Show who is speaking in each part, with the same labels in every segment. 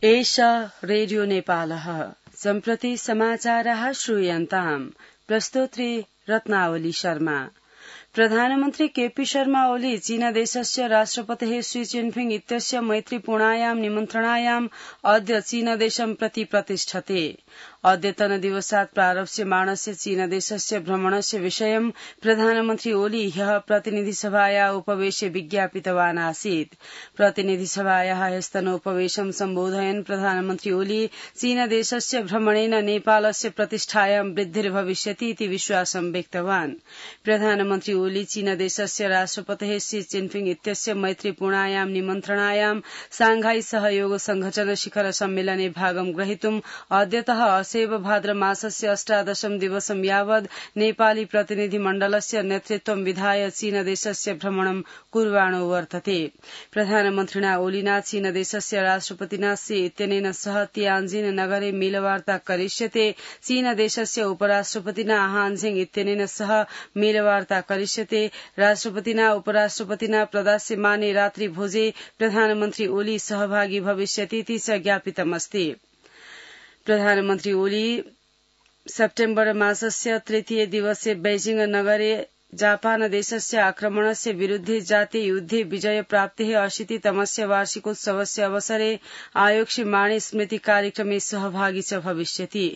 Speaker 1: एषा रेडियो नेपालः सम्प्रति समाचाराः श्रूयन्ताम् प्रस्तोत्री रत्नावली शर्मा। प्रधानमन्त्री केपी शर्मा ओली चीनदेशस्य राष्ट्रपतेः शी जिनपिंग इत्यस्य मैत्रीपूर्णायां निमन्त्रणायाम् अद्य चीनदेशं प्रति प्रतिष्ठते। अद्यतन दिवसात् प्रारप्स्यमाणस्य चीनदेशस्य भ्रमणस्य विषयं प्रधानमन्त्री ओली ह्यः प्रतिनिधिसभाया उपवेशे विज्ञापितवान् आसीत्। प्रतिनिधिसभाया ह्यस्तनोपवेशं सम्बोधयन् प्रधानमन्त्री ओली चीनदेशस्य भ्रमणेन नेपालस्य प्रतिष्ठायां वृद्धिर्भविष्यति इति विश्वासं व्यक्तवान्। प्रधानमन्त्री ओली चीनदेशस्य राष्ट्रपतेः शी जिनपिंग इत्यस्य मैत्रीपूर्णायां निमन्त्रणायां सांघाई सहयोग संघटन शिखर सम्मेलने भागं ग्रहीतुम् अद्यतः असेव भाद्र मासस्य 18 दिवसं यावत् नेपाली प्रतिनिधिमण्डलस्य नेतृत्वं विधाय चीनदेशस्य भ्रमणं कुर्वाणो वर्तते। प्रधानमन्त्रिणा ओलिना चीनदेशस्य राष्ट्रपतिना शी इत्यनेन सह तियान्जिन नगरे मेलवार्ता करिष्यते। चीनदेशस्य उपराष्ट्रपतिना हानझेङ इत्यनेन सह मेलवार्ता करिष्यते। राष्ट्रपतिना उपराष्ट्रपतिना प्रदास्यमाने रात्रि भोजे प्रधानमन्त्री ओली सहभागी भविष्यतीति च ज्ञापितमस्ति। प्रधानमन्त्री ओली सेप्टेम्बर मासस्य तृतीय दिवसे बेजिङ नगरे जापान देशस्य आक्रमणस्य विरुद्धे जातीय युद्धे विजय प्राप्तेः 80तमस्य वार्षिकोत्सवस्य अवसरे आयोक्ष्यमाणे स्मृति कार्यक्रमे सहभागी च भविष्यति।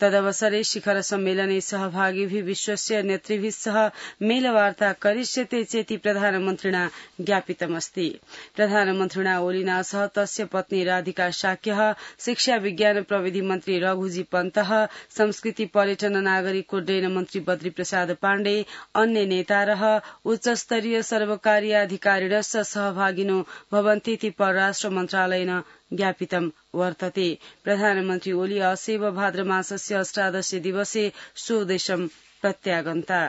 Speaker 1: तदवसरे शिखर सम्मेलने सहभागिभिः विश्वस्य नेतृभिः सह मेलवार्ता करिष्यते चेति प्रधानमन्त्रिणा ज्ञापितमस्ति। प्रधानमन्त्रिणा ओलिना सह तस्य पत्नी राधिका शाक्यः, शिक्षा विज्ञान प्रविधि मन्त्री रघुजी पन्तः, संस्कृति पर्यटन नागरिक उड्डयन मन्त्री बद्री प्रसाद पाण्डे, अन्य नेतारः उच्चस्तरीय सर्वकारीय अधिकारिणश्च सहभागिनो भवन्तीति परराष्ट्र मन्त्रालयेन ज्ञापितं वर्तते। प्रधानमन्त्री ओली असेव भाद्र मासस्य 18 दिवसे स्वदेशं प्रत्यागन्ता।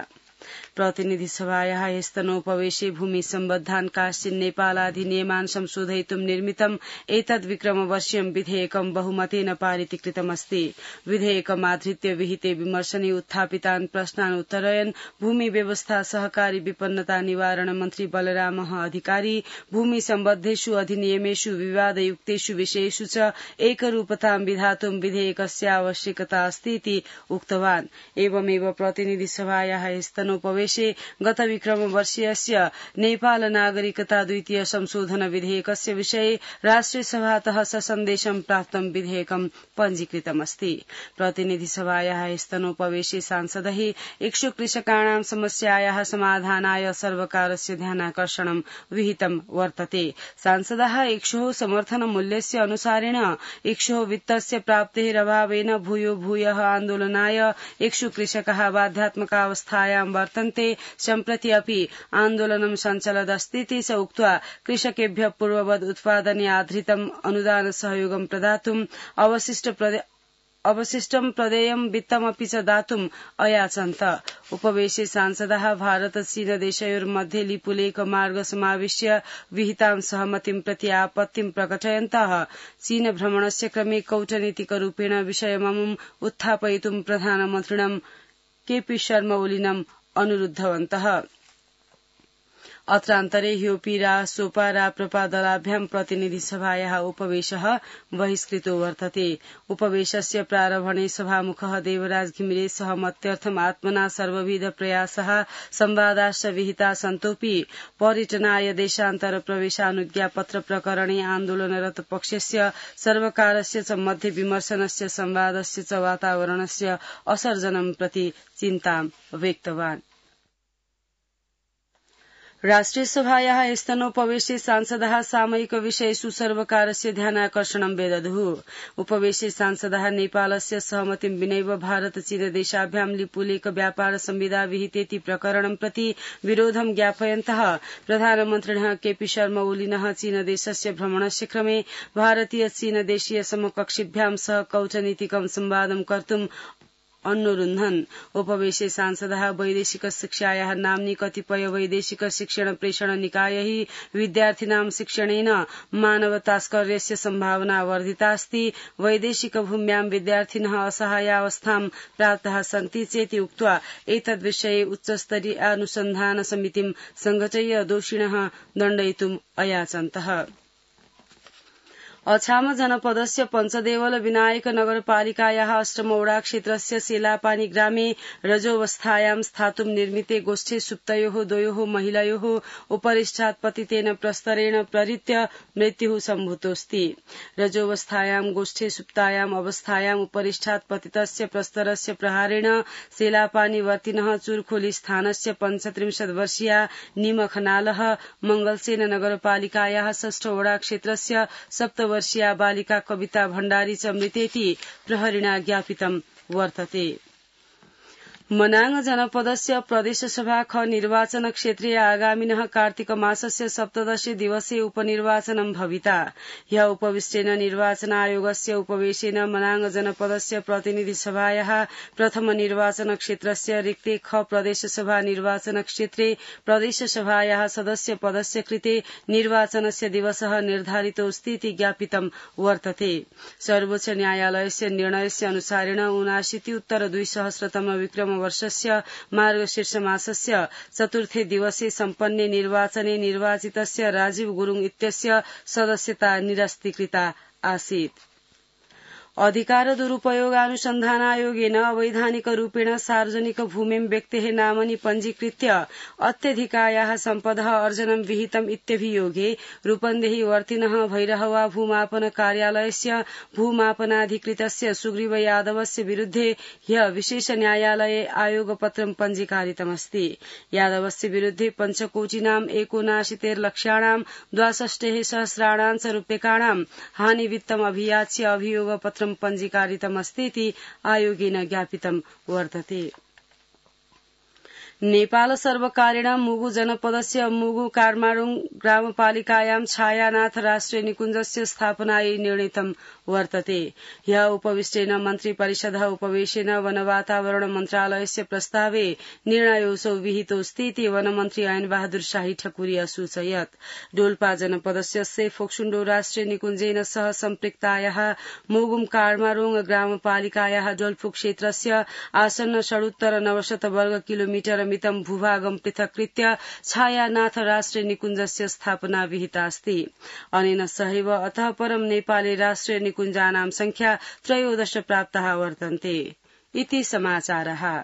Speaker 1: प्रतिनिधि सभायाः स्तनोपवेशे भूमि सम्बद्धान् काश्चिन् नेपालाधिनियमान् संशोधयितुं निर्मितम् एतद् विक्रमवर्षीयं विधेयकं बहुमतेन पारितीकृतमस्ति। विधेयकमाधृत्य विहिते विमर्शने उत्थापितान् प्रश्नान् उत्तरयन् भूमि व्यवस्था सहकारी विपन्नता निवारण मन्त्री बलरामः अधिकारी भूमि सम्बद्धेषु अधिनियमेषु विवादयुक्तेषु विषयेषु च एकरूपतां विधातुं विधेयकस्य आवश्यकता अस्ति इति उक्तवान्। एवमेव प्रतिनिधि सभायाः स्तनोपवेशे गत विक्रमवर्षीयस्य नेपाल नागरिकता द्वितीय संशोधन विधेयकस्य विषये राष्ट्रिय सभातः ससन्देशं प्राप्तं विधेयकं पञ्जीकृतमस्ति। प्रतिनिधि सभायाः स्तनोपवेशे सांसदैः इक्षुक कृषकाणां समस्यायाः समाधानाय सर्वकारस्य ध्यानाकर्षणं विहितं वर्तते। सांसदाः इक्षोः समर्थन मूल्यस्य अनुसारेण इक्षोः वित्तस्य प्राप्तेः अभावेन भूयः आन्दोलनाय इक्षुक कृषकाः बाध्यात्मकावस्थायां वर्तन्ते। सम्प्रति अपि आन्दोलनं सञ्चलदस्तीति च उक्त्वा कृषकेभ्यः पूर्ववद् उत्पादने आधृतम् अनुदान सहयोगं प्रदातुम् अवशिष्टं प्रदेयं वित्तमपि च दातुम् अयाचन्त। उपवेशे सांसदाः भारत चीन देशयोर्मध्ये लिपुलेख मार्ग समाविश्य विहितां सहमतिं प्रति आपत्तिं प्रकटयन्तः चीन भ्रमणस्य क्रमे कौटनीतिकरूपेण विषयममुम् उत्थापयितुं प्रधानमन्त्रिणं केपी शर्मा ओलिनम् अनुरुद्धवन्तः। अत्रान्तरे ह्योपीरा सोपारा प्रपादलाभ्यां प्रतिनिधि सभायाः उपवेशः बहिष्कृतो वर्तते। उपवेशस्य प्रारम्भणे सभामुखः देवराज घिमिरे सहमत्यर्थम् आत्मना सर्वविध प्रयासः संवादाश्च विहिता सन्तोऽपि पर्यटनाय देशान्तर प्रवेशानुज्ञापत्र प्रकरणे आन्दोलनरत पक्षस्य सर्वकारस्य च मध्ये विमर्शनस्य संवादस्य च वातावरणस्य असर्जनं प्रति चिन्तां व्यक्तवान्। राष्ट्रिय सभायाः स्तनोपवेशे सांसदाः सामयिक विषयेषु सर्वकारस्य ध्यानाकर्षणं व्यदधुः। उपवेशे सांसदाः नेपालस्य सहमतिं विनैव भारत चीन देशाभ्यां लिपुलेख व्यापार संविदा विहितेति प्रकरणं प्रति विरोधं ज्ञापयन्तः प्रधानमन्त्रिणः केपी शर्मा ओलिनः चीन देशस्य भ्रमणस्य क्रमे भारतीय चीन देशीय समकक्षिभ्यां सह कौटनीतिकं संवादं कर्तुम् अनुरुन्धन्। उपवेशे सांसदाः वैदेशिक शिक्षायाः नाम्नि कतिपय वैदेशिक शिक्षण प्रेषण निकायैः विद्यार्थिनां शिक्षणेन मानवतास्कर्यस्य सम्भावना वर्धितास्ति। वैदेशिक भूम्यां विद्यार्थिनः असहायावस्थां प्राप्ताः सन्ति चेति उक्त्वा एतद्विषये उच्चस्तरीय अनुसन्धान समितिं संघटय्य दोषिणः दण्डयितुम् अयाचन्तः। अछाम जनपदस्य पञ्चदेवल विनायक नगरपालिकायाः अष्टमवडा क्षेत्रस्य सेलापानी ग्रामे रजोवस्थायां स्थातुं निर्मिते गोष्ठे सुप्तयोः द्वयोः महिलयोः उपरिष्ठात् पतितेन प्रस्तरेण प्रहृत्य मृत्युः सम्भूतोऽस्ति। रजोवस्थायां गोष्ठे सुप्तायाम् अवस्थायाम् उपरिष्ठात् पतितस्य प्रस्तरस्य प्रहारेण सेलापानीवर्तिनः चुरखोली स्थानस्य 35 वर्षीया निमखनालः मंगलसेन नगरपालिकायाः 6 वडा क्षेत्रस्य 7 वर्षीया बालिका कविता भण्डारी च मृतेति प्रहरिणा ज्ञापितं वर्तते। मनाङ जनपदस्य प्रदेशसभा ख निर्वाचन क्षेत्रे आगामिनः कार्तिक मासस्य 17 दिवसे उपनिर्वाचनं भविता। ह्य उपविष्टेन निर्वाचन आयोगस्य उपवेशेन मनाङ जनपदस्य प्रतिनिधि सभायाः प्रथम निर्वाचन क्षेत्रस्य रिक्ते ख प्रदेशसभा निर्वाचन क्षेत्रे प्रदेशसभायाः सदस्य पदस्य कृते निर्वाचनस्य दिवसः निर्धारितोऽस्ति इति ज्ञापितं वर्तते। सर्वोच्च न्यायालयस्य निर्णयस्य अनुसारेण 79-2000 विक्रम वर्षस्य मार्गशीर्ष मासस्य चतुर्थे दिवसे सम्पन्ने निर्वाचने निर्वाचितस्य राजीव गुरुङ इत्यस्य सदस्यता निरस्तीकृता आसीत्। अधिकार दुरुपयोगानुसन्धान आयोगेन अवैधानिक रूपेण सार्वजनिक भूमिं व्यक्तेः नामनि पञ्जीकृत्य अत्यधिकायाः सम्पदः अर्जनं विहितम् इत्यभियोगे रूपन्देही वर्तिनः भैरहवा भूमापन कार्यालयस्य भूमापनाधिकृतस्य सुग्रीव यादवस्य विरुद्धे ह्य विशेष न्यायालये आयोगपत्रं पञ्जीकारितमस्ति। यादवस्य विरुद्धे पञ्चकोटिनाम् 79 लक्षाणां 62 सहस्राणां च रूप्यकाणां हानिवित्तम् अभियाच्य अभियोगपत्रं पञ्जीकारितमस्ति इति आयोगेन ज्ञापितं वर्तते। नेपाल सर्वकारेण मुगु जनपदस्य मुगु कार्माडुङ ग्रामपालिकायां छायानाथ राष्ट्रिय निकुञ्जस्य स्थापनायै निर्णीतं वर्तते। ह्य उपविष्टेन मन्त्री परिषदः उपवेशेन वन वातावरण मन्त्रालयस्य प्रस्तावे निर्णयोऽसौ विहितोऽस्ति इति वनमन्त्री ऐन बहादुर शाही ठकुरी असूचयत्। डोल्पा जनपदस्य सेफोक्सुण्डो राष्ट्रिय निकुञ्जेन सह सम्पृक्तायाः मुगुम कार्माडुङ ग्रामपालिकायाः डोल्फु क्षेत्रस्य आसन्न षडुत्तर 900 वर्ग किलोमिटर मितं भूभागं पृथक्कृत्य छायानाथ राष्ट्रिय निकुञ्जस्य स्थापना विहिता अस्ति। अनेन सहैव अतः परं नेपाले राष्ट्रिय निकुञ्जानां संख्या 13 प्राप्ताः वर्तन्ते। इति समाचारः।